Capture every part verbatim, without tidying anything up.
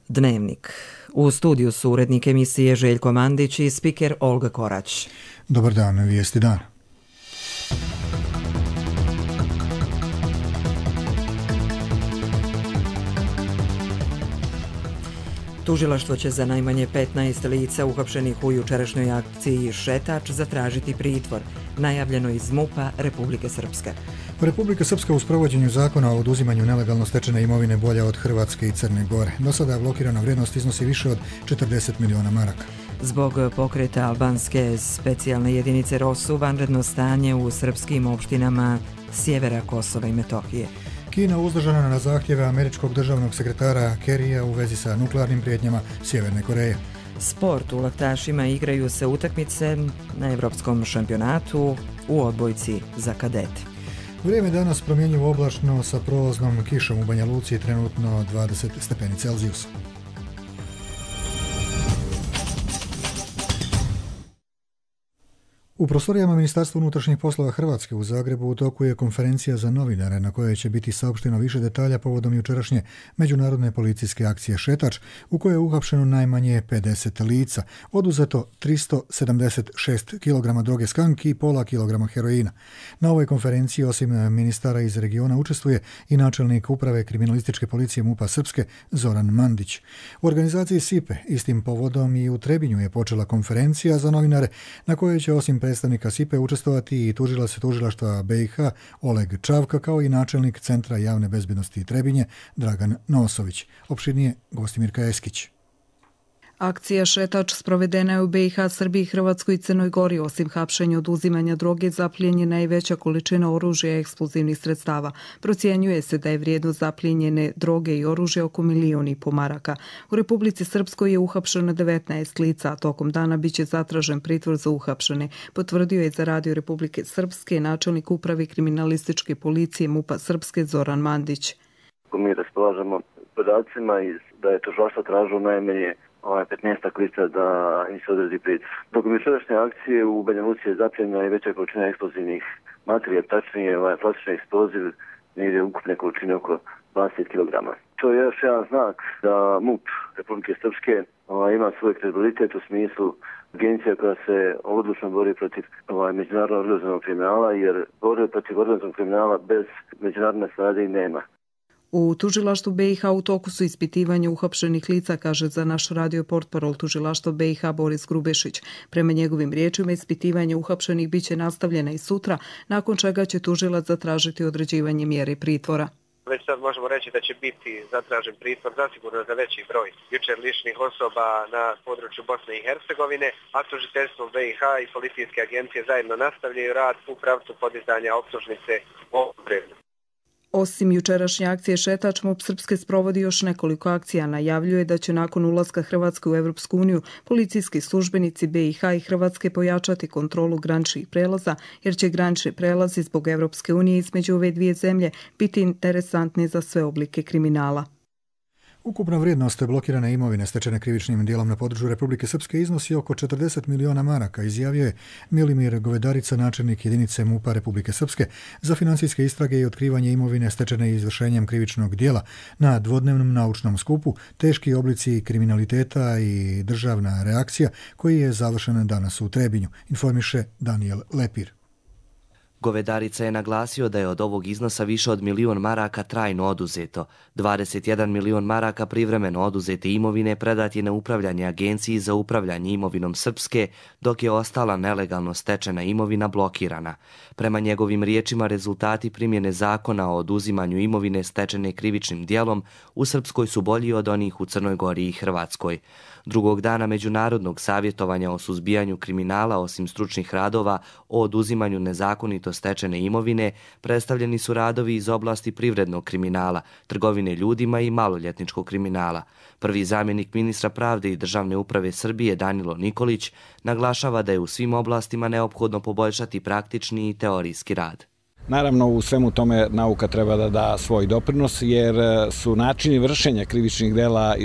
Dnevnik. U studiju su urednik emisije Željko Mandić i spiker Olga Korać. Dobar dan, vijesti dan. Tužilaštvo će za najmanje petnaest lica uhapšenih u jučerašnjoj akciji Šetač zatražiti pritvor, najavljeno iz MUP-a Republike Srpske. Republika Srpska u sprovođenju zakona o oduzimanju nelegalno stečene imovine bolja od Hrvatske i Crne Gore. Do sada blokirana vrijednost iznosi više od četrdeset miliona maraka. Zbog pokreta albanske specijalne jedinice ROSU vanredno stanje u srpskim opštinama sjevera Kosova i Metohije. Kina uzdržana na zahtjeve američkog državnog sekretara Kerrya u vezi sa nuklearnim prijetnjama Sjeverne Koreje. Sport. U laktašima igraju se utakmice na evropskom šampionatu u odbojci za kadete. Vrijeme danas promjenjivo oblačno sa prolaznom kišom u Banja Luci, trenutno dvadeset stepeni Celzijusa. U prostorijama Ministarstva unutrašnjih poslova Hrvatske u Zagrebu u toku je konferencija za novinare na kojoj će biti saopšteno više detalja povodom jučerašnje međunarodne policijske akcije Šetač, u kojoj je uhapšeno najmanje pedeset lica, oduzeto tristo sedamdeset šest kilograma droge skanki i pola kilograma heroina. Na ovoj konferenciji osim ministara iz regiona učestvuje i načelnik uprave kriminalističke policije MUP-a Srpske Zoran Mandić. U organizaciji S I P E istim povodom i u Trebinju je počela konferencija za novinare na kojoj će osim predstavnika S I P E učestvovati i tužilac tužilaštva B i H Oleg Čavka, kao i načelnik Centra javne bezbednosti Trebinje Dragan Nosović. Opširnije Gostimirka Eskić. Akcija Šetač sprovedena je u B i H, Srbiji, Hrvatskoj i Crnoj Gori. Osim hapšenja oduzimanja droge, zapljenjena je i veća količina oružja i eksplozivnih sredstava. Procjenjuje se da je vrijednost zapljenjene droge i oružja oko milion i po maraka. U Republici Srpskoj je uhapšeno devetnaest lica, a tokom dana biće zatražen pritvor za uhapšene, potvrdio je za Radio Republike Srpske načelnik uprave kriminalističke policije MUP-a Srpske Zoran Mandić. Mi raspolažemo podacima da je tužilaštvo tražilo najmanje ovaj petnaest lica da im se odredi pritvor. Dok jučerašnje akcije u Banja Luci je zapljenjena i veća količina eksplozivnih materija, tačnije ovaj plastični eksploziv, negdje ukupne količine oko dvadeset kilograma. To je još jedan znak da MUP Republike Srpske ovaj, ima svoj kredibilitet u smislu agencija koja se odlučno bori protiv ovaj, međunarodnog organizovanog kriminala, jer borbe protiv organizovanog kriminala bez međunarodne saradnje nema. U tužilaštvu B i H u toku su ispitivanja uhapšenih lica, kaže za naš radio portparol tužilaštva B i H Boris Grubešić. Prema njegovim riječima, ispitivanje uhapšenih biće nastavljena i sutra, nakon čega će tužilac zatražiti određivanje mjere pritvora. Već sad možemo reći da će biti zatražen pritvor zasigurno za veći broj jučer lišnih osoba na području Bosne i Hercegovine, a tužiteljstvo B i H i policijske agencije zajedno nastavljaju rad u pravcu podizanja optužnice o predmetu. Osim jučerašnje akcije Šetač, MUP Srpske sprovodi još nekoliko akcija. Najavljuje da će nakon ulaska Hrvatske u Evropsku uniju policijski službenici B i H i Hrvatske pojačati kontrolu graničnih prelaza, jer će granični prelazi zbog Evropske unije između ove dvije zemlje biti interesantni za sve oblike kriminala. Ukupna vrijednost blokirane imovine stečene krivičnim djelom na području Republike Srpske iznosi oko četrdeset miliona maraka, izjavio je Milimir Govedarica, načelnik jedinice MUP-a Republike Srpske za financijske istrage i otkrivanje imovine stečene izvršenjem krivičnog djela na dvodnevnom naučnom skupu Teški oblici kriminaliteta i državna reakcija, koji je završen danas u Trebinju, informiše Daniel Lepir. Govedarica je naglasio da je od ovog iznosa više od milion maraka trajno oduzeto. dvadeset jedan milion maraka privremeno oduzete imovine predat je na upravljanje Agenciji za upravljanje imovinom Srpske, dok je ostala nelegalno stečena imovina blokirana. Prema njegovim riječima, rezultati primjene zakona o oduzimanju imovine stečene krivičnim djelom u Srpskoj su bolji od onih u Crnoj Gori i Hrvatskoj. Drugog dana međunarodnog savjetovanja o suzbijanju kriminala, osim stručnih radova o oduzimanju nezakonito stečene imovine, predstavljeni su radovi iz oblasti privrednog kriminala, trgovine ljudima i maloljetničkog kriminala. Prvi zamjenik ministra pravde i državne uprave Srbije Danilo Nikolić naglašava da je u svim oblastima neophodno poboljšati praktični i teorijski rad. Naravno, u svemu tome nauka treba da da svoj doprinos, jer su načini vršenja krivičnih dela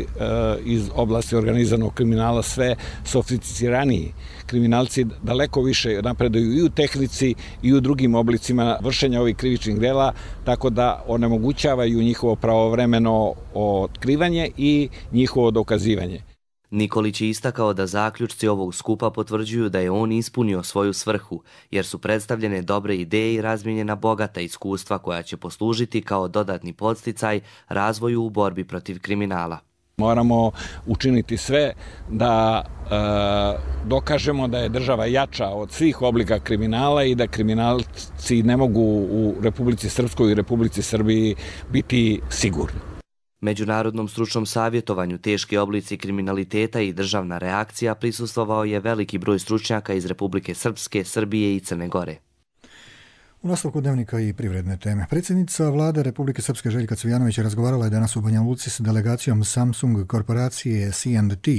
iz oblasti organizovanog kriminala sve sofisticiraniji. Kriminalci daleko više napreduju i u tehnici i u drugim oblicima vršenja ovih krivičnih dela, tako da onemogućavaju njihovo pravovremeno otkrivanje i njihovo dokazivanje. Nikolić je istakao da zaključci ovog skupa potvrđuju da je on ispunio svoju svrhu, jer su predstavljene dobre ideje i razmijenjena bogata iskustva koja će poslužiti kao dodatni podsticaj razvoju u borbi protiv kriminala. Moramo učiniti sve da e, dokažemo da je država jača od svih oblika kriminala i da kriminalci ne mogu u Republici Srpskoj i Republici Srbiji biti sigurni. Međunarodnom stručnom savjetovanju teški oblici kriminaliteta i državna reakcija prisustvovao je veliki broj stručnjaka iz Republike Srpske, Srbije i Crne Gore. U nastavku dnevnika i privredne teme. Predsjednica vlade Republike Srpske Željka Cvijanović razgovarala je danas u Banja Luci s delegacijom Samsung korporacije C and T,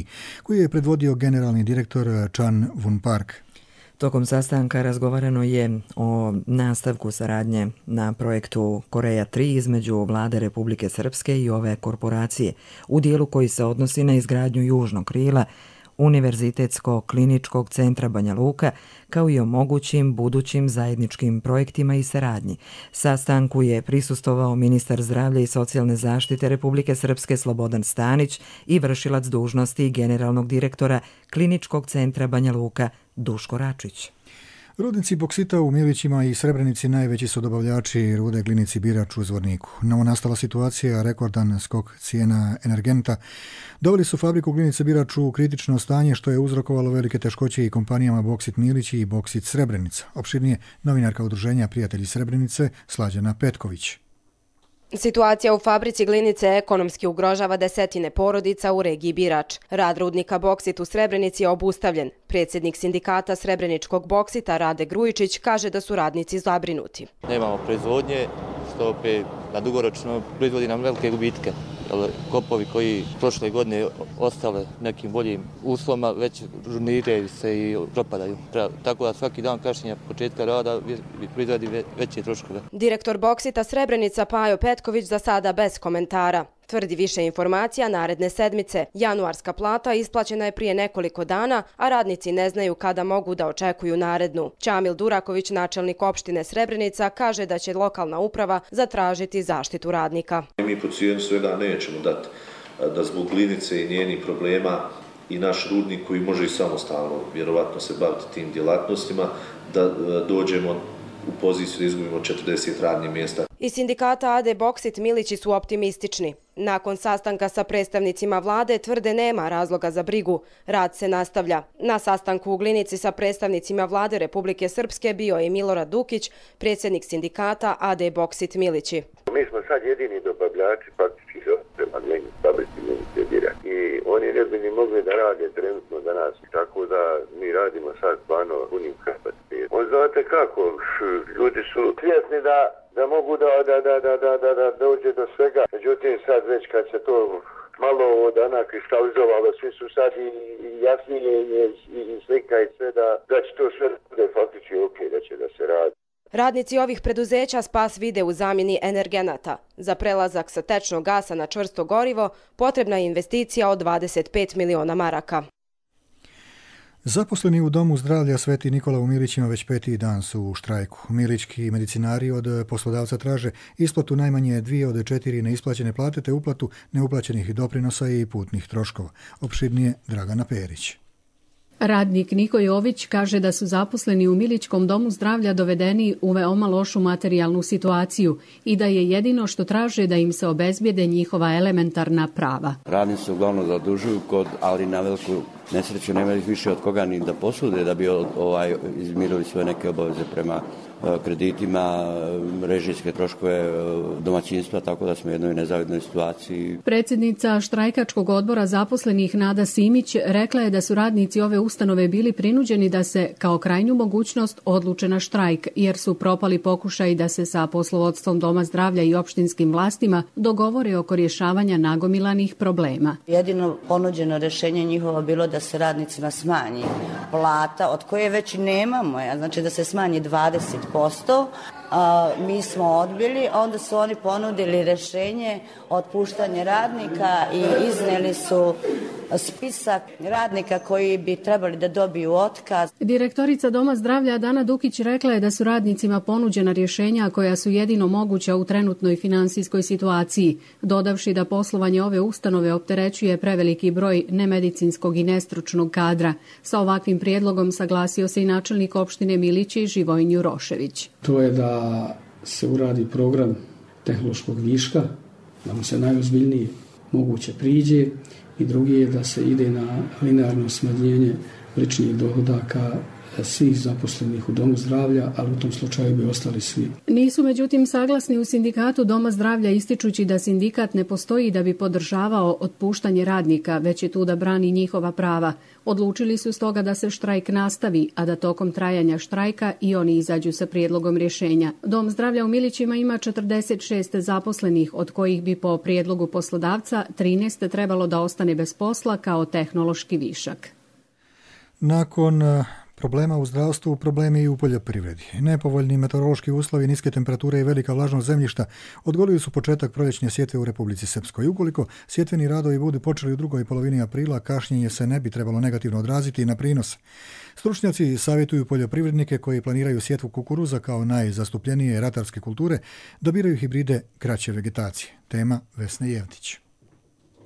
koju je predvodio generalni direktor Chan Vun Park. Tokom sastanka razgovarano je o nastavku saradnje na projektu Koreja tri između vlade Republike Srpske i ove korporacije, u dijelu koji se odnosi na izgradnju južnog krila Univerzitetsko-kliničkog centra Banja Luka, kao i o mogućim budućim zajedničkim projektima i saradnji. Sastanku je prisustvovao ministar zdravlja i socijalne zaštite Republike Srpske Slobodan Stanić i vršilac dužnosti generalnog direktora Kliničkog centra Banja Luka Duško Račić. Rudnici boksita u Milićima i Srebrenici najveći su dobavljači rude Glinici Birač u Zvorniku. Novonastala situacija, rekordan skok cijena energenta, doveli su fabriku Glinice Birač u kritično stanje, što je uzrokovalo velike teškoće i kompanijama Boksit Milići i Boksit Srebrenica. Opširnije novinarka udruženja Prijatelji Srebrenice Slađana Petković. Situacija u fabrici Glinice ekonomski ugrožava desetine porodica u regiji Birač. Rad rudnika Boksit u Srebrenici je obustavljen. Predsjednik sindikata Srebreničkog boksita Rade Grujičić kaže da su radnici zabrinuti. Nemamo proizvodnje, što opet na dugoročno proizvodi nam velike gubitke. Kopovi koji prošle godine ostale nekim boljim uslovima već žurniraju se i propadaju. Tako da svaki dan kašnjenja početka rada proizvodi veće troškove. Direktor boksita Srebrenica Pajo Petković za sada bez komentara. Tvrdi više informacija naredne sedmice. Januarska plata isplaćena je prije nekoliko dana, a radnici ne znaju kada mogu da očekuju narednu. Čamil Duraković, načelnik opštine Srebrenica, kaže da će lokalna uprava zatražiti zaštitu radnika. Mi po cijenu svega nećemo dati da zbog Glinice i njenih problema i naš rudnik koji može i samostalno vjerovatno se baviti tim djelatnostima, da dođemo u poziciju da izgubimo četrdeset radnih mjesta. Iz sindikata A D Boksit Milići su optimistični. Nakon sastanka sa predstavnicima vlade tvrde nema razloga za brigu. Rad se nastavlja. Na sastanku u Glinici sa predstavnicima vlade Republike Srpske bio je Milorad Dukić, predsjednik sindikata A D Boksit Milići. Mi smo sad jedini dobavljači faktički prema fabrici Glinice Birač i oni ne bi ni mogli da rade trenutno za nas. Tako da mi radimo sad stvarno punim kapacitetom. Znate kako, ljudi su svjesni da da mogu da, da, da, da, da, da, da dođe do svega. Međutim, sad već kad se to malo od dana kristalizovalo, svi su sad i, i jasnije i, i, i slika i sve da, da će to sve bude faktički ok, da će da se radi. Radnici ovih preduzeća spas vide u zamjeni energenata. Za prelazak sa tečnog gasa na čvrsto gorivo potrebna je investicija od dvadeset pet miliona maraka. Zaposleni u Domu zdravlja Sveti Nikola u Milićima već peti dan su u štrajku. Milićki medicinari od poslodavca traže isplatu najmanje dvije od četiri neisplaćene plate te uplatu neuplaćenih doprinosa i putnih troškova. Opširnije Dragana Perić. Radnik Niko Jović kaže da su zaposleni u Milićkom domu zdravlja dovedeni u veoma lošu materijalnu situaciju i da je jedino što traže da im se obezbijede njihova elementarna prava. Radnici se uglavnom zadužuju, kod, ali na veliku nesreću nemaju više od koga ni da posude da bi ovaj, izmirili svoje neke obaveze prema kreditima, režijske troškove domaćinstva, tako da smo u jednoj nezavidnoj situaciji. Predsjednica štrajkačkog odbora zaposlenih Nada Simić rekla je da su radnici ove ustanove bili prinuđeni da se kao krajnju mogućnost odluče na štrajk, jer su propali pokušaj da se sa poslovodstvom Doma zdravlja i opštinskim vlastima dogovore oko rješavanja nagomilanih problema. Jedino ponuđeno rješenje njihovo bilo da se radnicima smanji plata, od koje već nemamo, znači da se smanji dvadeset posto. A, mi smo odbili, onda su oni ponudili rješenje otpuštanje radnika i iznijeli su spisak radnika koji bi trebali da dobiju otkaz. Direktorica Doma zdravlja Dana Dukić rekla je da su radnicima ponuđena rješenja koja su jedino moguća u trenutnoj finansijskoj situaciji, dodavši da poslovanje ove ustanove opterećuje preveliki broj nemedicinskog i nestručnog kadra. Sa ovakvim prijedlogom saglasio se i načelnik opštine Milići Živojin Jurošević. To je da se uradi program tehnološkog viška, da mu se najozbiljnije moguće priđe, i drugi je da se ide na linearno smanjenje ličnih dohodaka svih zaposlenih u Domu zdravlja, ali u tom slučaju bi ostali svi. Nisu međutim saglasni u sindikatu Doma zdravlja, ističući da sindikat ne postoji da bi podržavao otpuštanje radnika, već je tu da brani njihova prava. Odlučili su stoga da se štrajk nastavi, a da tokom trajanja štrajka i oni izađu sa prijedlogom rješenja. Dom zdravlja u Milićima ima četrdeset šest zaposlenih, od kojih bi po prijedlogu poslodavca trinaest trebalo da ostane bez posla kao tehnološki višak. Nakon problema u zdravstvu, problemi i u poljoprivredi. Nepovoljni meteorološki uslovi, niske temperature i velika vlažnost zemljišta odgodili su početak proljećne sjetve u Republici Srpskoj. Ukoliko sjetveni radovi budu počeli u drugoj polovini aprila, kašnjenje se ne bi trebalo negativno odraziti na prinos. Stručnjaci savjetuju poljoprivrednike koji planiraju sjetvu kukuruza kao najzastupljenije ratarske kulture da biraju hibride kraće vegetacije. Tema Vesne Jevtić.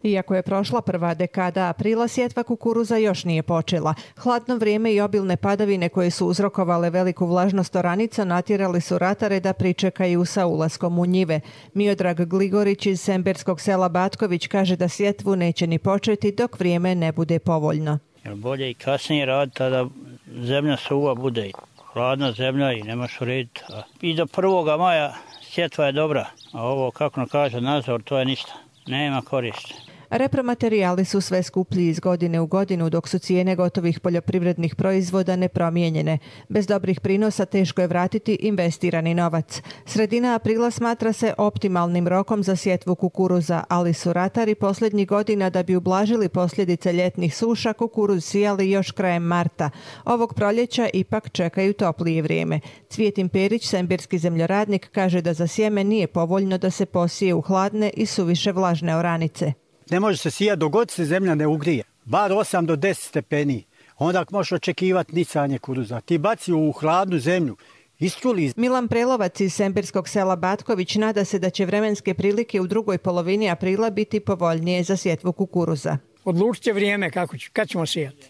Iako je prošla prva dekada aprila, sjetva kukuruza još nije počela. Hladno vrijeme i obilne padavine koje su uzrokovale veliku vlažnost oranica natjerali su ratare da pričekaju sa ulaskom u njive. Miodrag Gligorić iz semberskog sela Batković kaže da sjetvu neće ni početi dok vrijeme ne bude povoljno. Jer bolje i kasnije raditi, da zemlja suva bude hladna zemlja i nemaš urediti. I do prvoga maja sjetva je dobra, a ovo, kako nam kaže nadzor, to je ništa. Nema koristi. Repromaterijali su sve skuplji iz godine u godinu, dok su cijene gotovih poljoprivrednih proizvoda nepromijenjene. Bez dobrih prinosa teško je vratiti investirani novac. Sredina aprila smatra se optimalnim rokom za sjetvu kukuruza, ali su ratari posljednjih godina da bi ublažili posljedice ljetnih suša kukuruz sijali još krajem marta. Ovog proljeća ipak čekaju toplije vrijeme. Cvijetin Perić, sembirski zemljoradnik, kaže da za sjeme nije povoljno da se posije u hladne i suviše vlažne oranice. Ne može se sijati dok god se zemlja ne ugrije, bar osam do deset stepeni. Onda možeš očekivati nicanje kukuruza. Ti baci u hladnu zemlju. Istruli. Milan Prelovac iz sembirskog sela Batković nada se da će vremenske prilike u drugoj polovini aprila biti povoljnije za sjetvu kukuruza. Odlučit će vrijeme kako će, kad ćemo sijati.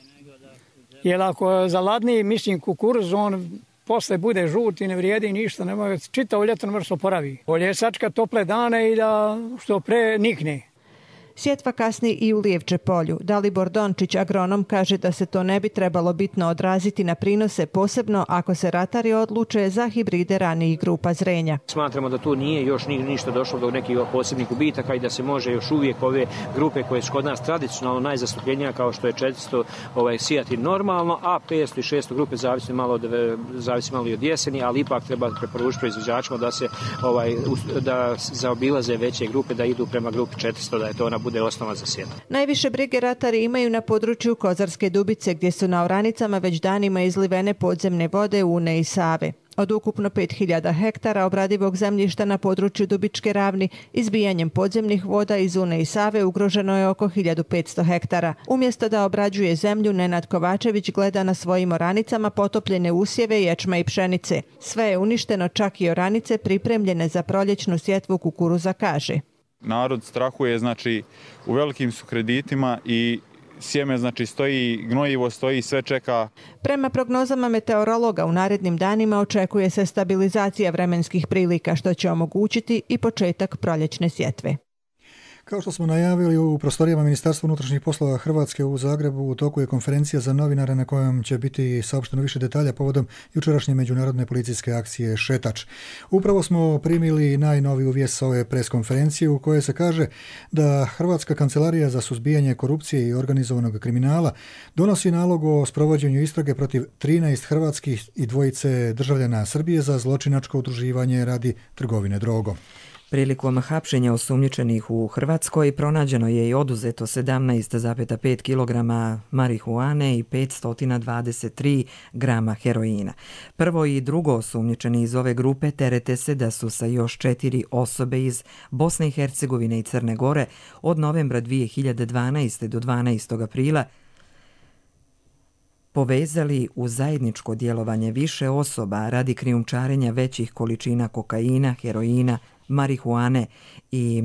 Jer ako zaladni, mislim, kukuruz, on posle bude žut i ne vrijedi ništa, nema, čitavo ljeto ne može se oporavi. Bolje je sačka tople dane i da što pre nikne. Sjetva kasni i u Lijevče polju. Dalibor Dončić, agronom, kaže da se to ne bi trebalo bitno odraziti na prinose, posebno ako se ratari odluče za hibride ranijih grupa zrenja. Smatramo da tu nije još ništa došlo do nekih posebnih gubitaka i da se može još uvijek ove grupe koje su kod nas tradicionalno najzastupljenija, kao što je četiristo ovaj, sijati normalno, a petsto i šesto grupe zavisi malo od, zavisi malo i od jeseni, ali ipak treba preporučiti proizvođačima da se ovaj, da zaobilaze veće grupe, da idu prema grupi četiristo, da je to ona bude osnova za sjetvu. Najviše brige ratari imaju na području Kozarske Dubice, gdje su na oranicama već danima izlivene podzemne vode Une i Save. Od ukupno pet hiljada hektara obradivog zemljišta na području Dubičke ravni, izbijanjem podzemnih voda iz Une i Save ugroženo je oko hiljadu petsto hektara. Umjesto da obrađuje zemlju, Nenad Kovačević gleda na svojim oranicama potopljene usjeve, ječma i pšenice. Sve je uništeno, čak i oranice pripremljene za proljećnu sjetvu kukuruza, kaže. Narod strahuje, znači u velikim su kreditima i sjeme znači stoji, gnojivo stoji, sve čeka. Prema prognozama meteorologa u narednim danima očekuje se stabilizacija vremenskih prilika, što će omogućiti i početak proljećne sjetve. Kao što smo najavili, u prostorijama Ministarstva unutrašnjih poslova Hrvatske u Zagrebu u toku je konferencija za novinare na kojom će biti saopšteno više detalja povodom jučerašnje međunarodne policijske akcije Šetač. Upravo smo primili najnoviju vijest sa ove pres konferencije u kojoj se kaže da Hrvatska kancelarija za suzbijanje korupcije i organizovanog kriminala donosi nalog o sprovođenju istrage protiv trinaest hrvatskih i dvojice državljana Srbije za zločinačko udruživanje radi trgovine drogom. Prilikom hapšenja osumnjičenih u Hrvatskoj pronađeno je i oduzeto sedamnaest zarez pet kilograma marihuane i petsto dvadeset tri grama heroina. Prvo i drugo osumnjičeni iz ove grupe terete se da su sa još četiri osobe iz Bosne i Hercegovine i Crne Gore od novembra dvije hiljade dvanaeste. do dvanaestog aprila povezali u zajedničko djelovanje više osoba radi krijumčarenja većih količina kokaina, heroina, marihuane i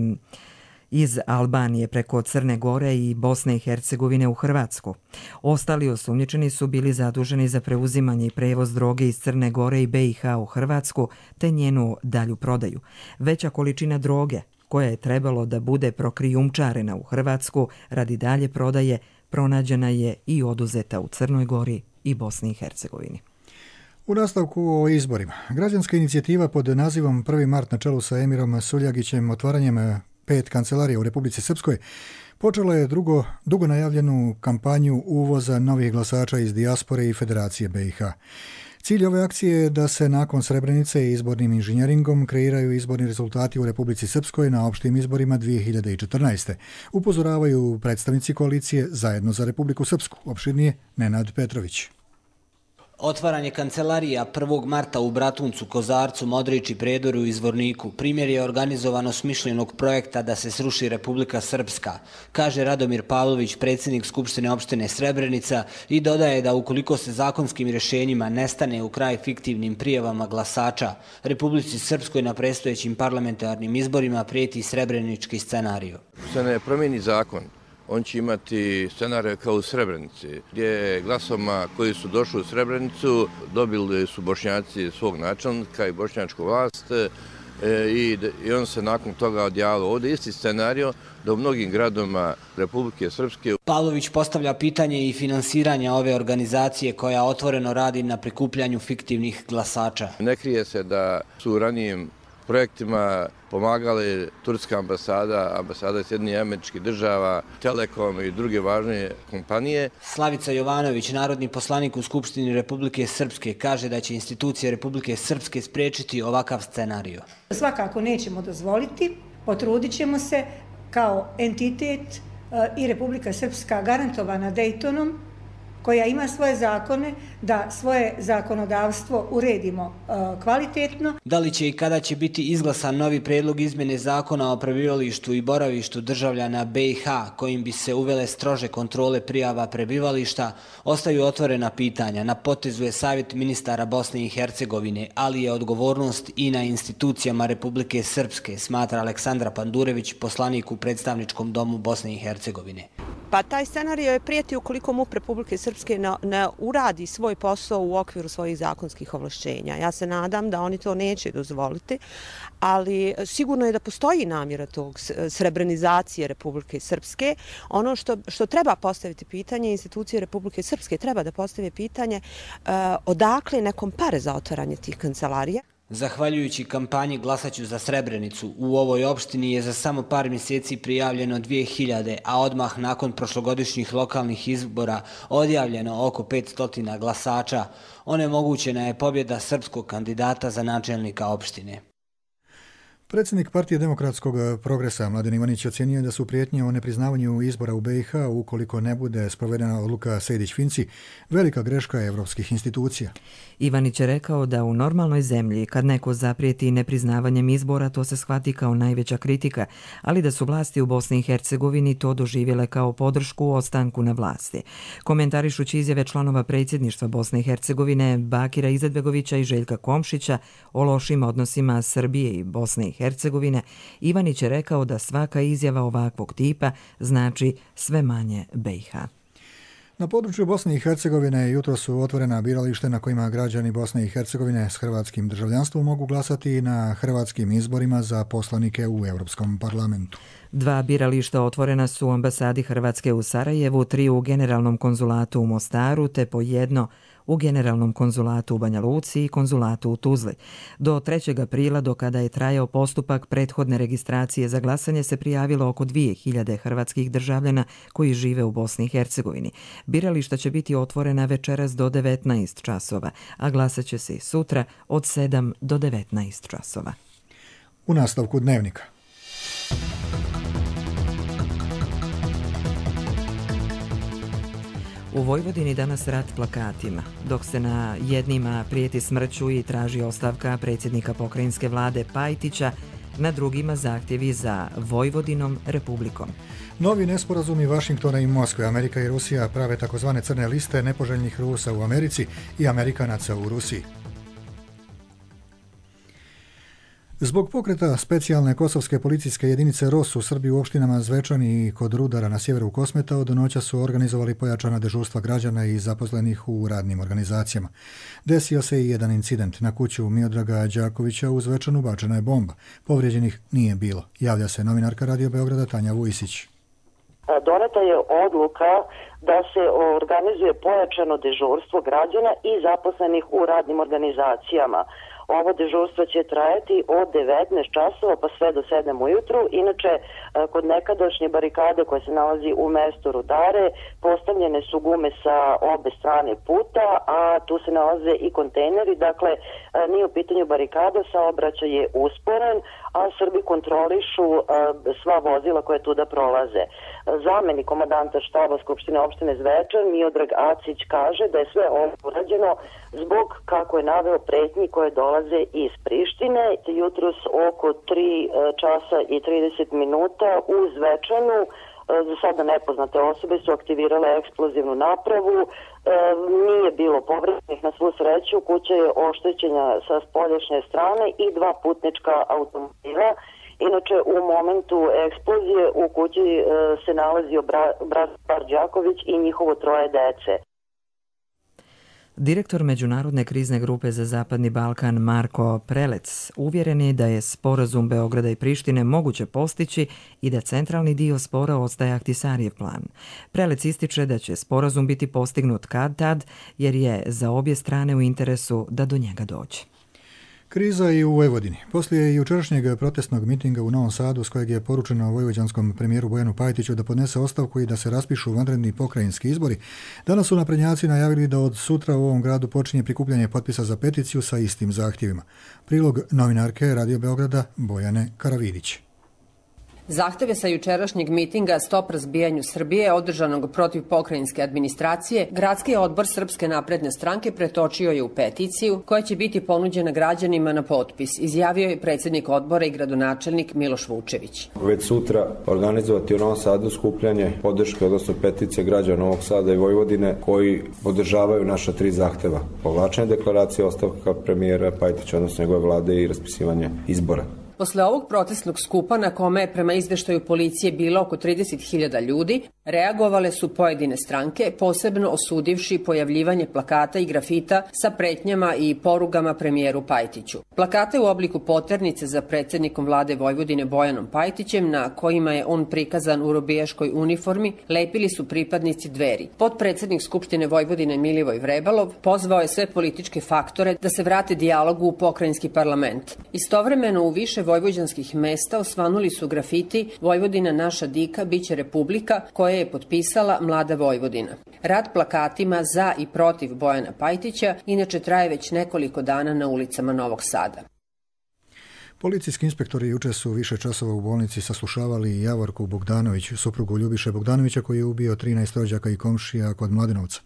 iz Albanije preko Crne Gore i Bosne i Hercegovine u Hrvatsku. Ostali osumnjičeni su bili zaduženi za preuzimanje i prevoz droge iz Crne Gore i B i H u Hrvatsku te njenu dalju prodaju. Veća količina droge koja je trebalo da bude prokrijumčarena u Hrvatsku radi dalje prodaje pronađena je i oduzeta u Crnoj Gori i Bosni i Hercegovini. U nastavku o izborima. Građanska inicijativa pod nazivom prvi mart na čelu sa Emirom Suljagićem otvaranjem pet kancelarija u Republici Srpskoj počela je drugo, dugo najavljenu kampanju uvoza novih glasača iz dijaspore i Federacije B i H. Cilj ove akcije je da se nakon Srebrenice i izbornim inženjeringom kreiraju izborni rezultati u Republici Srpskoj na opštim izborima dvije hiljade četrnaeste. Upozoravaju predstavnici koalicije Zajedno za Republiku Srpsku. Opširnije Nenad Petrović. Otvaranje kancelarija prvog marta u Bratuncu, Kozarcu, Modrići, Predoru i Zvorniku primjer je organizovano smišljenog projekta da se sruši Republika Srpska, kaže Radomir Pavlović, predsjednik Skupštine opštine Srebrenica, i dodaje da ukoliko se zakonskim rješenjima ne stane u kraj fiktivnim prijavama glasača, Republici Srpskoj na predstojećim parlamentarnim izborima prijeti srebrenički scenariju. Se ne promijeni zakon, on će imati scenarij kao u Srebrenici, gdje glasovima koji su došli u Srebrenicu dobili su Bošnjaci svog načelnika i bošnjačku vlast i, i on se nakon toga odjavio. Ovdje isti scenario da u mnogim gradovima Republike Srpske. Pavlović postavlja pitanje i finansiranja ove organizacije koja otvoreno radi na prikupljanju fiktivnih glasača. Ne krije se da su u ranijim projektima pomagali turska ambasada, ambasada Sjedinjenih Američkih Država, Telekom i druge važne kompanije. Slavica Jovanović, narodni poslanik u Skupštini Republike Srpske, kaže da će institucije Republike Srpske spriječiti ovakav scenarij. Svakako nećemo dozvoliti, potrudit ćemo se kao entitet i Republika Srpska garantovana Dejtonom, koja ima svoje zakone, da svoje zakonodavstvo uredimo uh, kvalitetno. Da li će i kada će biti izglasan novi predlog izmjene zakona o prebivalištu i boravištu državljana B i H, kojim bi se uvele strože kontrole prijava prebivališta, ostaju otvorena pitanja. Na potezu je savjet ministara Bosne i Hercegovine, ali je odgovornost i na institucijama Republike Srpske, smatra Aleksandra Pandurević, poslanik u predstavničkom domu Bosne i Hercegovine. Pa taj scenario je prijeti ukoliko MUP Republike Srpske ne, ne uradi svoj posao u okviru svojih zakonskih ovlašćenja. Ja se nadam da oni to neće dozvoliti, ali sigurno je da postoji namjera tog srebrenizacije Republike Srpske. Ono što, što treba postaviti pitanje, institucije Republike Srpske treba da postave pitanje uh, odakle nekom pare za otvaranje tih kancelarija. Zahvaljujući kampanji Glasaću za Srebrenicu, u ovoj opštini je za samo par mjeseci prijavljeno dvije hiljade, a odmah nakon prošlogodišnjih lokalnih izbora odjavljeno oko petsto glasača. Onemogućena je pobjeda srpskog kandidata za načelnika opštine. Predsjednik Partije demokratskog progresa Mladen Ivanić ocjenio da su prijetnje o nepriznavanju izbora u B i H ukoliko ne bude sprovedena odluka Sejdić-Finci velika greška evropskih institucija. Ivanić je rekao da u normalnoj zemlji kad neko zaprijeti nepriznavanjem izbora to se shvati kao najveća kritika, ali da su vlasti u Bosni i Hercegovini to doživjele kao podršku u ostanku na vlasti. Komentarišući izjave članova predsjedništva Bosne i Hercegovine Bakira Izetbegovića i Željka Komšića o lošim odnosima Srbije i Bosne i Hercegovine, Ivanić je rekao da svaka izjava ovakvog tipa znači sve manje B i H. Na području Bosne i Hercegovine jutro su otvorena biralište na kojima građani Bosne i Hercegovine s hrvatskim državljanstvom mogu glasati na hrvatskim izborima za poslanike u Europskom parlamentu. Dva birališta otvorena su u ambasadi Hrvatske u Sarajevu, tri u generalnom konzulatu u Mostaru te po jedno u generalnom konzulatu u Banja Luci i konzulatu u Tuzli. Do trećeg aprila, do kada je trajao postupak prethodne registracije za glasanje, se prijavilo oko dvije hiljade hrvatskih državljana koji žive u Bosni i Hercegovini. Birališta će biti otvorena večeras do devetnaest časova, a glasat će se i sutra od sedam do devetnaest časova. U nastavku Dnevnika. U Vojvodini danas rat plakatima, dok se na jednima prijeti smrću i traži ostavka predsjednika pokrajinske vlade Pajtića, na drugima zahtjevi za Vojvodinom republikom. Novi nesporazumi Vašingtona i Moskve, Amerika i Rusija prave takozvane crne liste nepoželjnih Rusa u Americi i Amerikanaca u Rusiji. Zbog pokreta specijalne kosovske policijske jedinice ROS u Srbiji u opštinama Zvečani i kod Rudara na sjeveru Kosmeta od noća su organizovali pojačana dežurstva građana i zaposlenih u radnim organizacijama. Desio se i jedan incident. Na kuću Miodraga Đakovića u Zvečanu bačena je bomba. Povrijeđenih nije bilo. Javlja se novinarka Radio Beograda Tanja Vujisić. Doneta je odluka da se organizuje pojačano dežurstvo građana i zaposlenih u radnim organizacijama. Ovo dežurstvo će trajati od devetnaest časova pa sve do sedam ujutru. Inače, kod nekadašnje barikade koja se nalazi u mestu Rudare, postavljene su gume sa obe strane puta, a tu se nalaze i kontejneri. Dakle, nije u pitanju barikada, saobraćaj je usporen, a Srbi kontrolišu sva vozila koje tuda prolaze. Zamenik komandanta štaba Skupštine opštine Zvečan, Miodrag Acić, kaže da je sve ovo urađeno zbog, kako je naveo, pretnji koje dolaze iz Prištine. Jutros oko tri časa i trideset minuta u Zvečanu za sada nepoznate osobe su aktivirale eksplozivnu napravu. E, nije bilo povrednih na svu sreću, kuća je oštećena sa spoljašnje strane i dva putnička automobila. Inače, u momentu eksplozije u kući e, se nalazio brat Bar Đaković i njihovo troje dece. Direktor Međunarodne krizne grupe za Zapadni Balkan Marko Prelec uvjeren je da je sporazum Beograda i Prištine moguće postići i da centralni dio spora ostaje Ahtisarijev plan. Prelec ističe da će sporazum biti postignut kad tad, jer je za obje strane u interesu da do njega dođe. Kriza i u Vojvodini. Poslije jučerašnjeg protestnog mitinga u Novom Sadu s kojeg je poručeno vojvođanskom premijeru Bojanu Pajtiću da podnese ostavku i da se raspišu vanredni pokrajinski izbori, danas su naprednjaci najavili da od sutra u ovom gradu počinje prikupljanje potpisa za peticiju sa istim zahtjevima. Prilog novinarke Radio Beograda Bojane Karavidić. Zahteve sa jučerašnjeg mitinga Stop razbijanju Srbije, održanog protiv pokrajinske administracije, Gradski odbor Srpske napredne stranke pretočio je u peticiju koja će biti ponuđena građanima na potpis, izjavio je predsjednik odbora i gradonačelnik Miloš Vučević. Već sutra organizovati u Novom Sadu skupljanje podrške, odnosno peticije građana Novog Sada i Vojvodine koji podržavaju naša tri zahteva. Povlačenje deklaracije, ostavka premijera Pajtića, odnosno njegove vlade i raspisivanje izbora. Posle ovog protestnog skupa, na kome je prema izveštaju policije bilo oko trideset hiljada ljudi, reagovale su pojedine stranke, posebno osudivši pojavljivanje plakata i grafita sa pretnjama i porugama premijeru Pajtiću. Plakate u obliku poternice za predsjednikom vlade Vojvodine Bojanom Pajtićem, na kojima je on prikazan u robijaškoj uniformi, lepili su pripadnici Dveri. Potpredsjednik Skupštine Vojvodine Milivoj Vrebalov pozvao je sve političke faktore da se vrate dijalogu u pokrajinski parlament. Istovremeno u više vojvođanskih mesta osvanuli su grafiti Vojvodina naša dika, biće republika, koje je potpisala Mlada Vojvodina. Rat plakatima za i protiv Bojana Pajtića inače traje već nekoliko dana na ulicama Novog Sada. Policijski inspektori juče su više časova u bolnici saslušavali Javorku Bogdanović, suprugu Ljubiše Bogdanovića koji je ubio trinaest rođaka i komšija kod Mladenovca.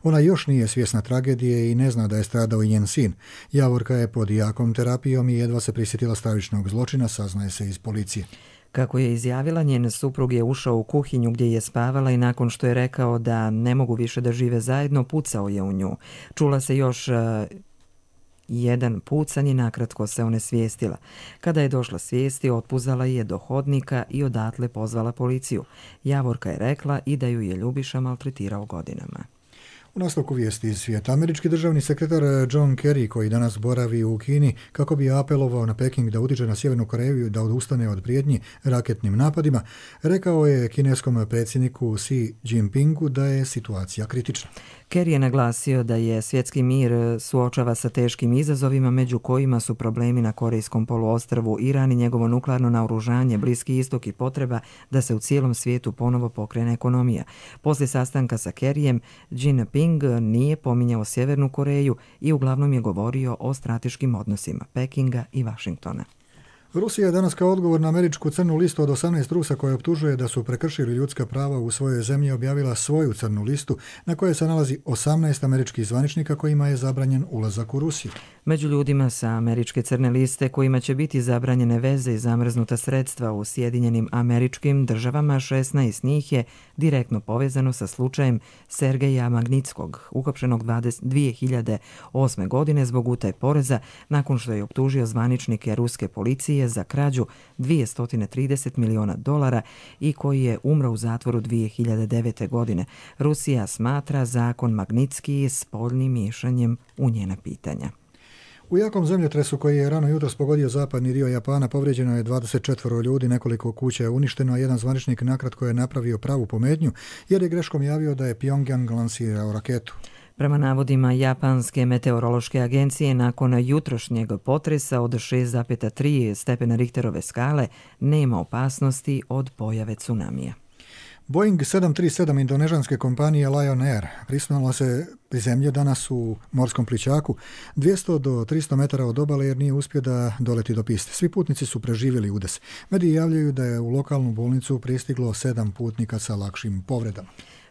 Ona još nije svjesna tragedije i ne zna da je stradao i njen sin. Javorka je pod jakom terapijom i jedva se prisjetila stravičnog zločina, saznaje se iz policije. Kako je izjavila, njen suprug je ušao u kuhinju gdje je spavala i nakon što je rekao da ne mogu više da žive zajedno, pucao je u nju. Čula se još uh, jedan pucanj i nakratko se onesvijestila. Kada je došla svijesti, otpuzala je do hodnika i odatle pozvala policiju. Javorka je rekla i da ju je Ljubiša maltretirao godinama. U nastavku vijesti iz svijeta, američki državni sekretar John Kerry, koji danas boravi u Kini kako bi apelovao na Peking da utiče na Sjevernu Koreju da odustane od prijetnji raketnim napadima, rekao je kineskom predsjedniku Xi Jinpingu da je situacija kritična. Kerry je naglasio da je svjetski mir suočava sa teškim izazovima, među kojima su problemi na Korejskom poluostrvu, Iran i njegovo nuklearno naoružanje, Bliski istok i potreba da se u cijelom svijetu ponovo pokrene ekonomija. Poslije sastanka sa Kerryjem, Jinping nije pominjao Sjevernu Koreju i uglavnom je govorio o strateškim odnosima Pekinga i Vašingtona. Rusija je danas kao odgovor na američku crnu listu od osamnaest Rusa koje optužuje da su prekršili ljudska prava u svojoj zemlji objavila svoju crnu listu na kojoj se nalazi osamnaest američkih zvaničnika kojima je zabranjen ulazak u Rusiju. Među ljudima sa američke crne liste kojima će biti zabranjene veze i zamrznuta sredstva u Sjedinjenim Američkim Državama, šesnaest njih je direktno povezano sa slučajem Sergeja Magnitskog, uhapšenog dvije hiljade osme. godine zbog utaje poreza nakon što je optužio zvaničnike ruske policije za krađu dvjesto trideset miliona dolara i koji je umro u zatvoru dvije hiljade devete. godine. Rusija smatra zakon Magnitski spoljnim miješanjem u njena pitanja. U jakom zemljotresu koji je rano jutros pogodio zapadni dio Japana povrijeđeno je dvadeset četvoro ljudi, nekoliko kuća je uništeno, a jedan zvaničnik nakratko je napravio pravu pometnju jer je greškom javio da je Pyongyang lansirao raketu. Prema navodima Japanske meteorološke agencije, nakon jutrošnjeg potresa od šest zarez tri stepena Richterove skale nema opasnosti od pojave tsunamija. Boeing sedam tri sedam indonežanske kompanije Lion Air prisnulo se prizemlje danas u morskom plićaku dvjesto do tristo metara od obale jer nije uspio da doleti do piste. Svi putnici su preživjeli udes. Mediji javljaju da je u lokalnu bolnicu pristiglo sedam putnika sa lakšim povredama.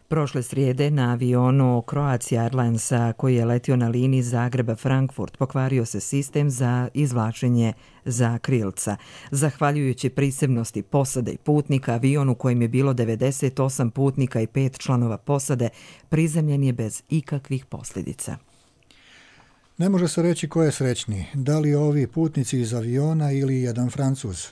Prošle srijede na avionu Croatia Airlinesa koji je letio na liniji Zagreb-Frankfurt pokvario se sistem za izvlačenje zakrilca. Zahvaljujući prisebnosti posade i putnika, avion u kojem je bilo devedeset osam putnika i pet članova posade prizemljen je bez ikakvih posljedica. Ne može se reći ko je srećniji, da li ovi putnici iz aviona ili jedan Francuz.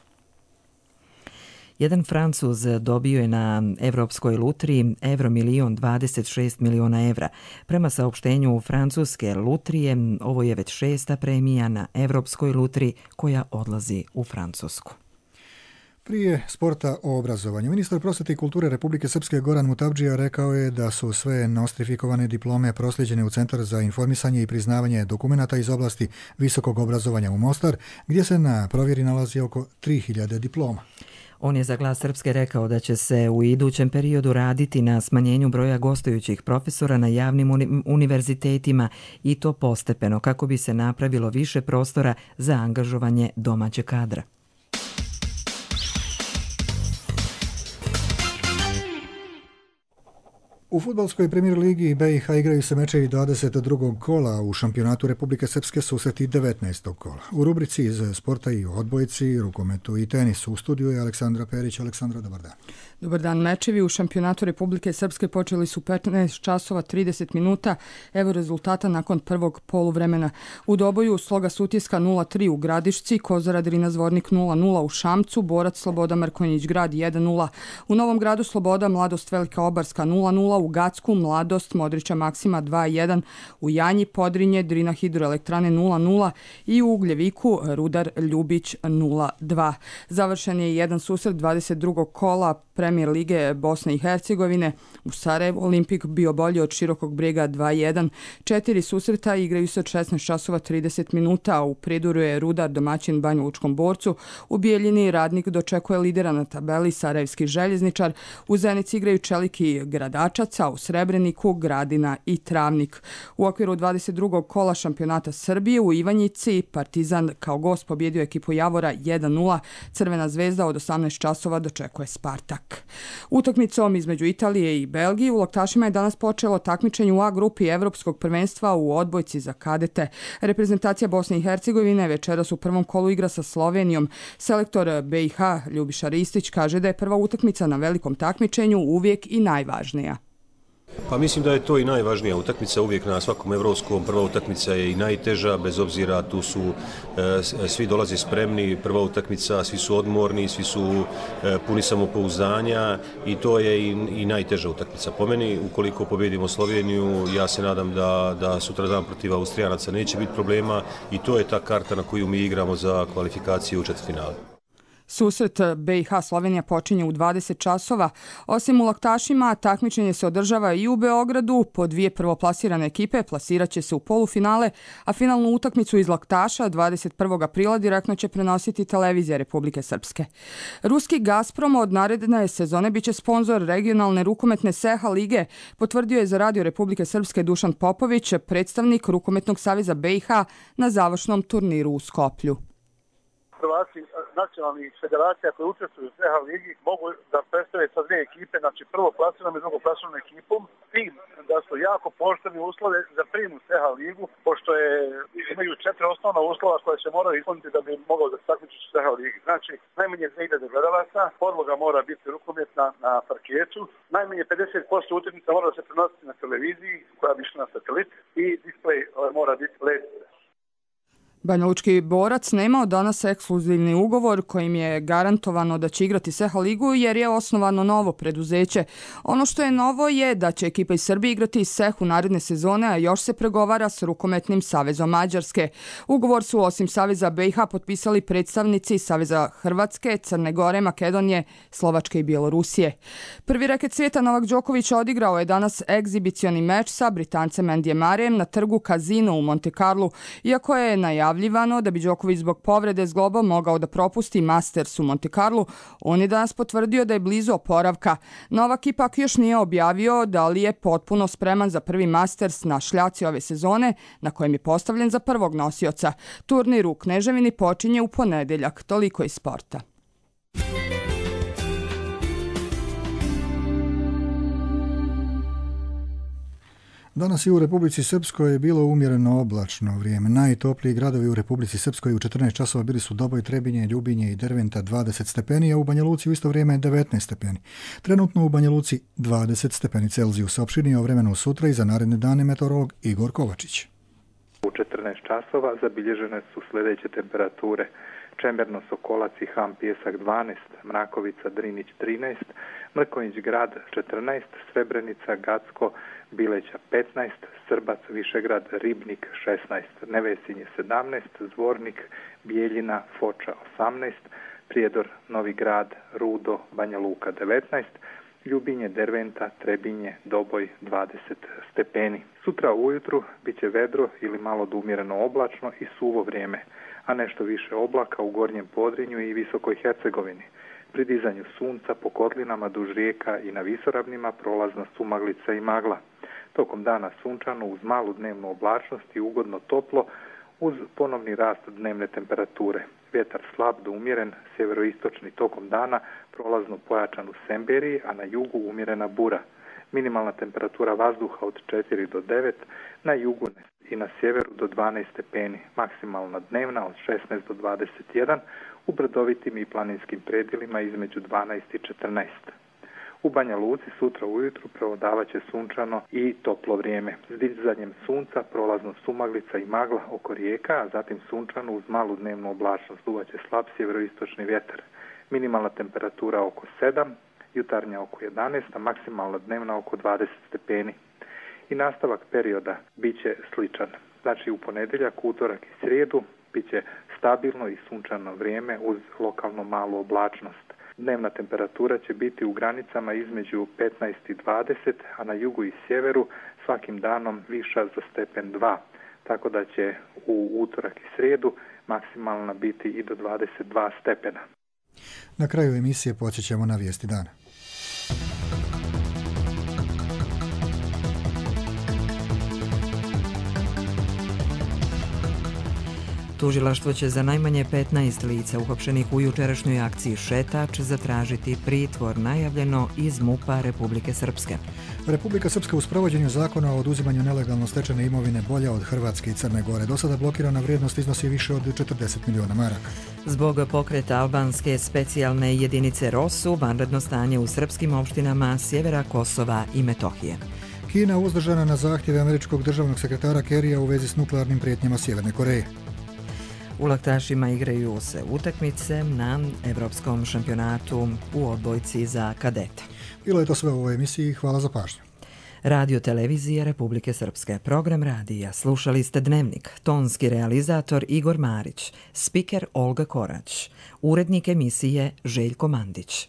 Jedan Francuz dobio je na Evropskoj lutriji Euro milion dvadeset šest miliona evra. Prema saopštenju francuske lutrije, ovo je već šesta premija na Evropskoj lutriji koja odlazi u Francusku. Prije sporta o obrazovanju, ministar prosvjete i kulture Republike Srpske Goran Mutavdžija rekao je da su sve nostrifikovane diplome prosljeđene u Centar za informisanje i priznavanje dokumenata iz oblasti visokog obrazovanja u Mostar, gdje se na provjeri nalazi oko tri hiljade diploma. On je za Glas Srpske rekao da će se u idućem periodu raditi na smanjenju broja gostujućih profesora na javnim uni- univerzitetima i to postepeno kako bi se napravilo više prostora za angažovanje domaćeg kadra. U fudbalskoj premijer ligi B i H igraju se mečevi dvadeset drugog kola, u šampionatu Republike Srpske susreti devetnaestog kola. U rubrici iz sporta i odbojci, rukometu i tenisu u studiju je Aleksandra Perić. Aleksandra, dobar dan. Dobar dan. Mečevi u šampionatu Republike Srpske počeli su petnaest časova trideset minuta. Evo rezultata nakon prvog poluvremena. U Doboju Sloga Sutjeska nula tri u Gradišci, Kozara Drina Zvornik nula nula u Šamcu, Borac Sloboda Mrkonjić Grad jedan nula. U Novom Gradu Sloboda Mladost Velika Obarska nula nula, u Gacku Mladost Modrića Maksima dva jedan, u Janji Podrinje Drina Hidroelektrane nula nula i u Ugljeviku Rudar Ljubić nula dva. Završen je jedan susret dvadeset drugog kola Premijer lige Bosne i Hercegovine. U Sarajevu Olimpik bio bolji od Širokog Brega dva jedan. Četiri susreta igraju se od šesnaest časova trideset minuta. U Prijedoru je Rudar domaćin Banja Lučkom Borcu. U Bijeljini Radnik dočekuje lidera na tabeli Sarajevski Željezničar. U Zenici igraju Čelik i Gradačac, a u Srebreniku Gradina i Travnik. U okviru dvadeset drugog kola šampionata Srbije u Ivanjici Partizan kao gost pobjedio ekipu Javora jedan nula. Crvena zvezda od osamnaest časova dočekuje Spartak. Utakmicom između Italije i Belgije u Loktašima je danas počelo takmičenje u A grupi Evropskog prvenstva u odbojci za kadete. Reprezentacija Bosne i Hercegovine večeras u prvom kolu igra sa Slovenijom. Selektor B i H Ljubiša Ristić kaže da je prva utakmica na velikom takmičenju uvijek i najvažnija. Pa mislim da je to i najvažnija utakmica uvijek na svakom evropskom. Prva utakmica je i najteža, bez obzira tu su e, svi dolaze spremni, prva utakmica, svi su odmorni, svi su e, puni samopouzdanja i to je i, i najteža utakmica. Po meni, ukoliko pobjedimo Sloveniju, ja se nadam da, da sutra dan protiv Austrijanaca neće biti problema i to je ta karta na koju mi igramo za kvalifikaciju u četvrtfinale. Susret B i H Slovenija počinje u dvadeset časova. Osim u Laktašima, takmičenje se održava i u Beogradu. Po dvije prvoplasirane ekipe plasirat će se u polufinale, a finalnu utakmicu iz Laktaša dvadeset prvog aprila direktno će prenositi televizija Republike Srpske. Ruski Gazprom od naredne sezone biće sponzor regionalne rukometne S E H A lige, potvrdio je za Radio Republike Srpske Dušan Popović, predstavnik Rukometnog saveza B i H na završnom turniru u Skoplju. prvaci nacionalnih federacija koje učestvuju u C H ligi mogu da predstave sa dvije ekipe, znači prvo plasiranom i drugo plasiranom ekipom, tim da su jako pooštreni uslove za prijem u C H ligu, pošto je, imaju četiri osnovna uslova koje se moraju ispuniti da bi mogao da se takmiči u C H ligi. Znači, najmanje dvije hiljade gledalaca, podloga mora biti rukometna na parketu, najmanje pedeset posto utakmica mora da se prenositi na televiziji koja bi išla na satelit i displej mora biti L E D. Banjalučki borac nemao danas ekskluzivni ugovor kojim je garantovano da će igrati C H ligu jer je osnovano novo preduzeće. Ono što je novo je da će ekipa iz Srbije igrati C H u naredne sezone, a još se pregovara s Rukometnim savezom Mađarske. Ugovor su osim Saveza B i H potpisali predstavnici Saveza Hrvatske, Crne Gore, Makedonije, Slovačke i Bjelorusije. Prvi reket svijeta Novak Đoković odigrao je danas egzibicioni meč sa Britancem Andijem Murrayem na trgu Casino u Monte Carlu, iako je najavljivano da bi Đoković zbog povrede zgloba mogao da propusti Masters u Monte Carlu, on je danas potvrdio da je blizu oporavka. Novak ipak još nije objavio da li je potpuno spreman za prvi Masters na šljaci ove sezone, na kojem je postavljen za prvog nosioca. Turnir u Kneževini počinje u ponedeljak. Toliko iz sporta. Danas i u Republici Srpskoj je bilo umjereno oblačno vrijeme. Najtopliji gradovi u Republici Srpskoj u četrnaest časova bili su Doboj, Trebinje, Ljubinje i Derventa dvadeset stepeni, a u Banja Luci u isto vrijeme devetnaest stepeni. Trenutno u Banja Luci dvadeset stepeni Celzijusa. Opširnije o vremenu sutra i za naredne dane meteorolog Igor Kovačić. U četrnaest časova zabilježene su sljedeće temperature: Čemerno, Sokolac i Ham, Pijesak dvanaest, Mrakovica, Drinić trinaest, Mrkonjić Grad četrnaest, Srebrenica, Gacko, Bileća petnaest, Srbac, Višegrad, Ribnik šesnaest, Nevesinje sedamnaest, Zvornik, Bijeljina, Foča osamnaest, Prijedor, Novi Grad, Rudo, Banja Luka devetnaest, Ljubinje, Derventa, Trebinje, Doboj dvadeset stepeni. Sutra ujutru bit će vedro ili malo do umjereno oblačno i suvo vrijeme, a nešto više oblaka u Gornjem Podrinju i Visokoj Hercegovini. Pri dizanju sunca po kotlinama duž rijeka i na visoravnima prolazna sumaglica i magla. Tokom dana sunčano uz malu dnevnu oblačnost i ugodno toplo uz ponovni rast dnevne temperature. Vjetar slab do umjeren, sjeveroistočni tokom dana prolazno pojačan u Semberiji, a na jugu umjerena bura. Minimalna temperatura vazduha od četiri do devet, na jugu i na sjeveru do dvanaest stepeni, maksimalna dnevna od šesnaest do dvadeset jedan, u brdovitim i planinskim predjelima između dvanaest i četrnaest. U Banja Luci sutra ujutru prevladavat će sunčano i toplo vrijeme. S dizanjem sunca prolazno sumaglica i magla oko rijeka, a zatim sunčano uz malu dnevnu oblačnost. Duvat će slab sjeveroistočni vjetar. Minimalna temperatura oko sedam, jutarnja oko jedanaest, a maksimalna dnevna oko dvadeset stepeni. I nastavak perioda bit će sličan. Znači u ponedjeljak, utorak i srijedu bit će stabilno i sunčano vrijeme uz lokalno malu oblačnost. Dnevna temperatura će biti u granicama između petnaest i dvadeset, a na jugu i sjeveru svakim danom viša za stepen dva, tako da će u utorak i srijedu maksimalna biti i do dvadeset dva stepena. Na kraju emisije počećemo na vijesti dana. Tužilaštvo će za najmanje petnaest lica uhapšenih u jučerašnjoj akciji Šetač zatražiti pritvor, najavljeno iz MUP-a Republike Srpske. Republika Srpska u sprovođenju zakona o oduzimanju nelegalno stečene imovine bolja od Hrvatske i Crne Gore. Do sada blokirana vrijednost iznosi više od četrdeset miliona maraka. Zbog pokreta albanske specijalne jedinice ROSU, vanredno stanje u srpskim opštinama sjevera Kosova i Metohije. Kina uzdržana na zahtjeve američkog državnog sekretara Kerrya u vezi s nuklearnim prijetnjama Sjeverne Koreje. U laktašima igraju se utakmice na Evropskom šampionatu u odbojci za kadete. Bilo je to sve u ovoj emisiji. Hvala za pažnju. Radio Televizije Republike Srpske. Program radija. Slušali ste Dnevnik. Tonski realizator Igor Marić. Spiker Olga Korać. Urednik emisije Željko Mandić.